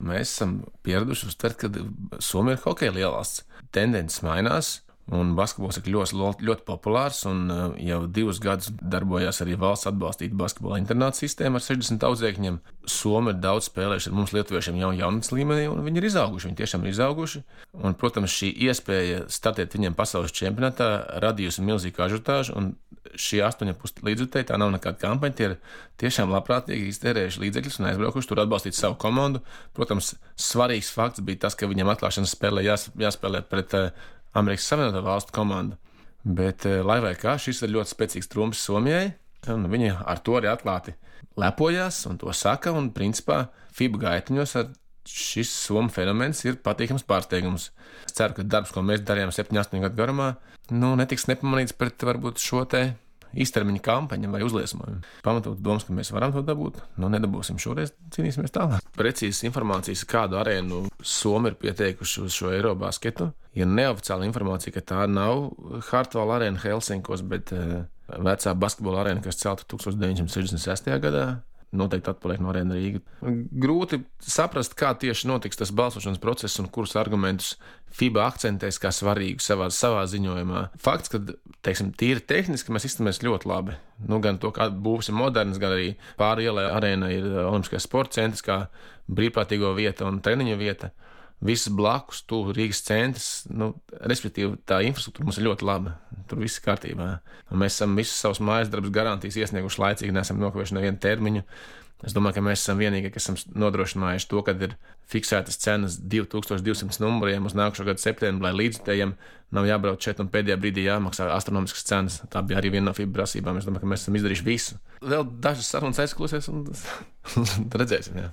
mēs esam pieraduši uztvert, ka Somija ir hokeja lielvalsts. Tendences mainās. Un basketbols ir ļoti populārs, un jau 2 gadus darbojās arī valsts atbalstīta basketbola internāta sistēma ar 60 audzēkņiem. Somi ir daudz spēlējuši ar mums lietuviešiem jau jaunatnes līmenī, un viņi ir izauguši, viņi tiešām ir izauguši. Un, protams, šī iespēja startēt viņiem pasaules čempionātā radījusi milzīgu ažiotāžu, un šie 8,5 līdzjutēji, tā nav nekāda kampaņa, tie ir tiešām labprātīgi iztērējuši līdzekļus un aizbraukuši tur atbalstīt savu komandu. Protams, svarīgs fakts bija tas, ka viņiem atklāšanas spēlē jāspēlē pret Amerikas Savienoto Valstu komandu. Bet, lai vai kā, šis ir ļoti spēcīgs trumps Somijai, un viņi ar to arī atklāti lepojās un to saka, un principā FIBA gaitiņos šis Somu fenomens ir patīkams pārsteigums. Es ceru, ka darbs, ko mēs darījām 7-8 gadu garumā, netiks nepamanīts pret varbūt šo te īstermiņa kampaņa vai uzliesmojumi. Pamatot domas, ka mēs varam to dabūt, nedabūsim šoreiz, cīnīsimies tālāk. Precīzas informācijas, kādu arēnu Somi ir pieteikuši uz šo Eirobasketu, ir neoficiāla informācija, ka tā nav Hartwall arēna Helsinkos, bet vecā basketbola arēna, kas celta 1966. gadā. Noteikti atpaliek no arēna Rīga. Grūti saprast, kā tieši notiks tas balsošanas process un kurus argumentus FIBA akcentēs kā svarīgu savā ziņojumā. Fakts, ka, teiksim, tīri tehniski mēs izturamies ļoti labi. Gan to, kā būs ir moderns, gan arī pāri ielai arēna ir Olimpiskais sporta centrs, kā brīvprātīgo vieta un treniņu vieta. Viss blakus, tuvu Rīgas centrs, respektīvi tā infrastruktūra mums ir ļoti laba. Tur viss ir kārtībā. Un mēs esam visus savus mājas darbus garantijas iesnieguši laicīgi, neesam nokavējuši nevienu termiņu. Es domāju, ka mēs esam vienīgie, kas esam nodrošinājuši to, kad ir fiksētas cenas 2200 numuriem uz nākošo gadu septembri, lai līdzjutējiem nav jābrauc šeit un pēdējā brīdī jāmaksā astronomiskas cenas. Tā bija arī viena no FIBA prasībām. Es domāju, ka mēs esam izdarījuši visu. Vēl dažas sarunas aizklausies un redzēsim. Jā.